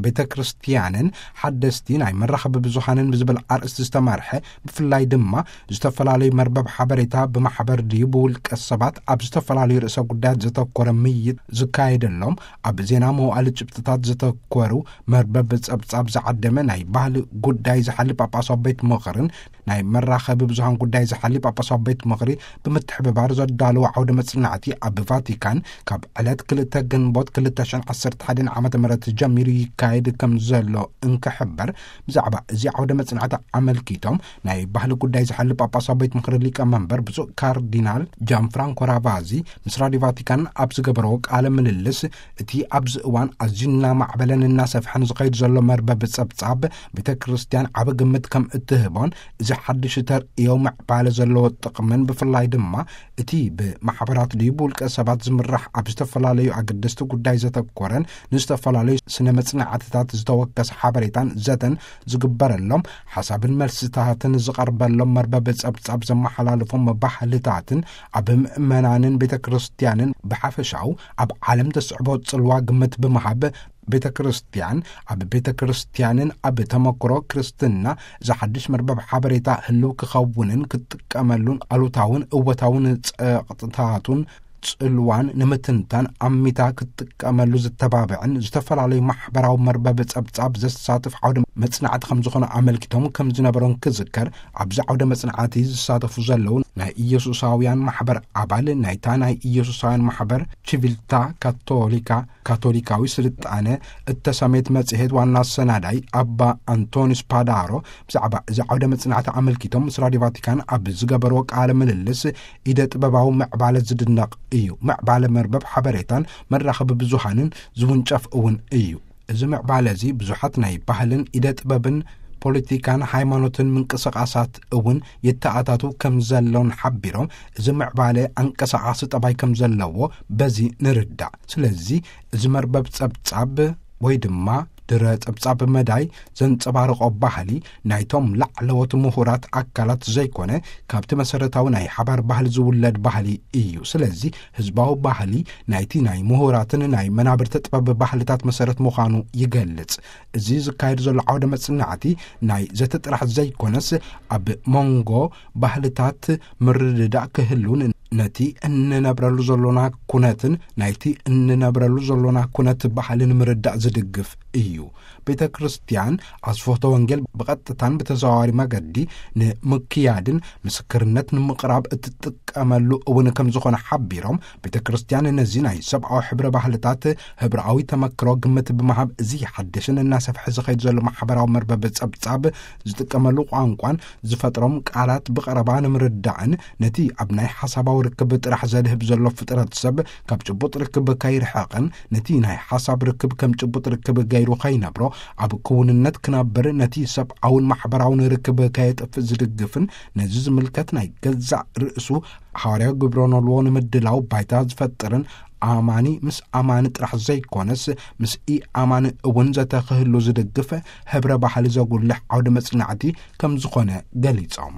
ቤተ ክርስቲያንን ሓደስቲ ናይ መራኸቢ ብዙሃንን ብዝብል ኣርእስቲ ዝተመርሐ፣ ብፍላይ ድማ ዝተፈላለዩ መርበብ ሓበሬታ ብማሕበር ድዩ ብውልቀ ሰባት ኣብ ዝተፈላለዩ ርእሰ ጉዳያት ዘተኮረ ምይይጥ ዝካየደሎም፣ ኣብ ዜና መዋዕል ጭብጥታት ዘተኮሩ መርበብ ጸብጻብ ዝዓደመ ናይ ባህሊ ጉዳይ ዝሓሊ ጳጳሳዊ ቤት ምኽርን ናይ መራኸቢ ብዙሃን ጉዳይ ዝሓሊ ጳጳሳዊ ቤት ምኽሪ ብምትሕብባር ዘዳለወ ዓውደ መጽናዕቲ ኣብ ቫቲካን ካብ ዕለት ክልተ ግንቦት ክልተ ሽሕን ዓሰርተ ሓደን ዓመተ ምህረት ጀሚሩ ይካየድ ከም ዘሎ እንክሕበር፣ ብዛዕባ እዚ ዓውደ መጽናዕቲ ኣመልኪቶም ናይ ባህሊ ጉዳይ ዝሓሊ ጳጳሳዊ ቤት ምኽሪ ሊቀ መንበር ብፁዕ ካርዲናል ጃን ፍራንኮ ራቫዚ ምስ ራዲዮ ቫቲካን ኣብ ዝገበረዎ ቃለ ምልልስ፣ እቲ ኣብዚ እዋን ኣዝዩ እናማዕበለን እናሰፍሐን ዝኸይድ ዘሎ መርበብ ጸብጻብ ቤተ ክርስቲያን ዓቢ ግምት ከም እትህቦን፣ እዚ ሓድሽ ተርእዮ ምዕባለ ዘለዎ ጥቕምን ብፍላይ ድማ እቲ ብማሕበራት ድዩ ብውልቀ ሰባት ዝምራሕ ኣብ ዝተፈላለዩ ኣገደስቲ ጉዳይ ዘተኮረን ንዝተፈላለዩ ስነ መጽናዕትታት ዝተወከሰ ሓበሬታን ዘተን ዝግበረሎም ሓሳብን መልስታትን ዝቐርበሎም መርበብ ጸብጻብ ዘመሓላልፎም ባህልታትን ኣብ ምእመናንን ቤተ ክርስቲያንን ብሓፈሻው ኣብ ዓለም ዘስዕቦ ጽልዋ ግምት ብምሃብ፣ ቤተ ክርስቲያን ኣብ ቤተ ክርስቲያንን ኣብ ተመክሮ ክርስትና ዝሓድሽ መርበብ ሓበሬታ ህልው ክኸውንን ክትጥቀመሉን ኣሉታውን እወታውን ጸቕጥታቱን ጽልዋን ንምትንታን ኣሚታ ክትጥቀመሉ ዝተባብዕን ዝተፈላለዩ ማሕበራዊ መርበብ ጸብጻብ ዘሳትፍ ዓውደ መጽናዕቲ ከም ዝኾነ ኣመልኪቶም ከም ዝነበሮን ክዝከር፣ ኣብዚ ዓውደ መጽናዕቲ ዝሳተፉ ዘለዉ ናይ ኢየሱሳውያን ማሕበር ኣባል ናይታ ናይ ኢየሱሳውያን ማሕበር ቺቪልታ ካቶሊካ፣ ካቶሊካዊ ስልጣነ እተሰሜት መጽሔት ዋና ኣሰናዳይ ኣባ ኣንቶኒስ ፓዳሮ ብዛዕባ እዚ ዓውደ መጽናዕቲ ኣመልኪቶም ምስ ራዲዮ ቫቲካን ኣብ ዝገበርዎ ቃለ ምልልስ፣ ኢደ ጥበባዊ ምዕባለ ዝድነቕ እዩ። ምዕባለ መርበብ ሓበሬታን መራኸቢ ብዙሃንን ዝውንጨፍ እውን እዩ። እዚ ምዕባለ እዚ ብዙሓት ናይ ባህልን ኢደ ጥበብን ፖለቲካን ሃይማኖትን ምንቅስቓሳት እውን የተኣታቱ ከም ዘሎን ሓቢሮም፣ እዚ ምዕባለ ኣንቀሳቓሲ ጠባይ ከም ዘለዎ በዚ ንርዳእ። ስለዚ እዚ መርበብ ጸብጻብ ወይ ድማ ድረ ጸብጻብ መዳይ ዘንጸባርቖ ባህሊ ናይቶም ላዕለዎት ምሁራት ኣካላት ዘይኮነ፣ ካብቲ መሰረታዊ ናይ ሓባር ባህሊ ዝውለድ ባህሊ እዩ። ስለዚ ህዝባዊ ባህሊ ናይቲ ናይ ምሁራትን ናይ መናብርቲ ጥበብ ባህልታት መሰረት ምዃኑ ይገልጽ። እዚ ዝካየድ ዘሎ ዓውደ መጽናዕቲ ናይ ዘተ ጥራሕ ዘይኮነስ፣ ኣብ መንጎ ባህልታት ምርድዳእ ክህሉን ነቲ እንነብረሉ ዘሎና ኩነትን ናይቲ እንነብረሉ ዘሎና ኩነት ባህልን ምርዳእ ዝድግፍ እዩ። ቤተ ክርስቲያን ኣስፎቶ ወንጌል ብቐጥታን ብተዘዋዋሪ መገዲ ንምክያድን ምስክርነት ንምቕራብ እትጥቀመሉ እውን ከም ዝኾነ ሓቢሮም፣ ቤተ ክርስቲያን ነዚ ናይ ሰብኣዊ ሕብረ ባህልታት ህብረኣዊ ተመክሮ ግምት ብምሃብ፣ እዚ ሓድሽን እናሰፍሐ ዝኸይድ ዘሎ ማሕበራዊ መርበብ ጸብጻብ ዝጥቀመሉ ቋንቋን ዝፈጥሮም ቃላት ብቐረባ ንምርዳእን፣ ነቲ ኣብ ናይ ሓሳባዊ ርክብ ጥራሕ ዘድህብ ዘሎ ፍጥረት ሰብ ካብ ጭቡጥ ርክብ ከይርሕቕን፣ ነቲ ናይ ሓሳብ ርክብ ከም ጭቡጥ ርክብ ገይሩ ከይነብሮ፣ ኣብ ክውንነት ክነብር፣ ነቲ ሰብኣውን ማሕበራውን ርክብ ከየጥፍእ ዝድግፍን፣ ነዚ ዝምልከት ናይ ገዛእ ርእሱ ሓዋርያዊ ግብረ ኖልዎ ንምድላው ባይታ ዝፈጥርን፣ ኣማኒ ምስ ኣማኒ ጥራሕ ዘይኮነስ፣ ምስ ኢኣማኒ እውን ዘተ ክህሉ ዝድግፍ፣ ህብረ ባህሊ ዘጉልሕ ዓውደ መጽናዕቲ ከም ዝኾነ ገሊጾም።